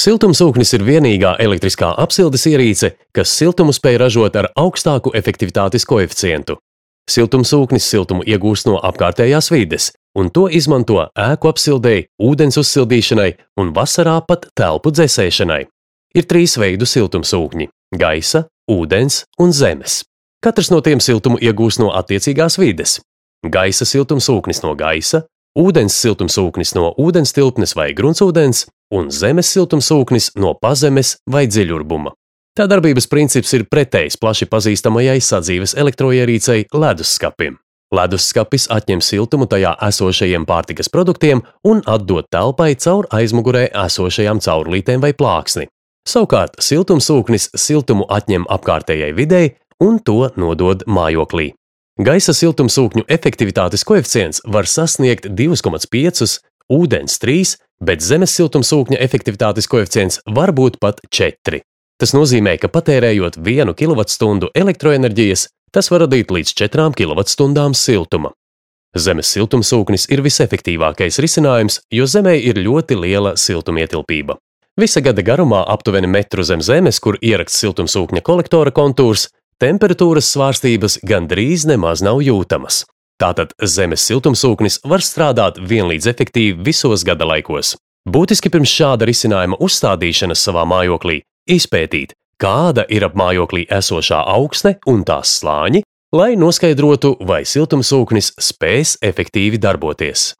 Siltumsūknis ir vienīgā elektriskā apsildes ierīce, kas siltumu spēj ražot ar augstāku efektivitātes koeficientu. Siltumsūknis siltumu iegūst no apkārtējās vides, un to izmanto ēku apsildei, ūdens uzsildīšanai un vasarā pat telpu dzesēšanai. Ir 3 veidu siltumsūkņi – gaisa, ūdens un zemes. Katrs no tiem siltumu iegūst no attiecīgās vides. Gaisa siltumsūknis no gaisa, ūdens siltumsūknis no ūdenstilpnes vai gruntsūdens un zemes siltumsūknis no pazemes vai dziļurbuma. Tā darbības princips ir pretējs plaši pazīstamajai sadzīves elektroierīcei ledusskapim. Leduskapis atņem siltumu tajā esošajiem pārtikas produktiem un atdod telpai caur aizmugurē esošajām caurulītēm vai plāksni. Savukārt siltumsūknis siltumu atņem apkārtējai videi un to nodod mājoklī. Gaisa siltumsūkņu efektivitātes koeficients var sasniegt 2,5, ūdens 3, bet zemes siltumsūkņa efektivitātes koeficients var būt pat 4. Tas nozīmē, ka patērējot 1 kWh elektroenerģijas, tas var radīt līdz 4 kWh siltuma. Zemes siltumsūknis ir visefektīvākais risinājums, jo Zemē ir ļoti liela siltumietilpība. Visa gada garumā aptuveni metru zem zemes, kur ierakts siltumsūkņa kolektora kontūrs, temperatūras svārstības gandrīz nemaz nav jūtamas. Tātad zemes siltumsūknis var strādāt vienlīdz efektīvi visos gada laikos. Būtiski pirms šāda risinājuma uzstādīšanas savā mājoklī izpētīt, kāda ir ap mājoklī esošā augsne un tās slāņi, lai noskaidrotu, vai siltumsūknis spēs efektīvi darboties.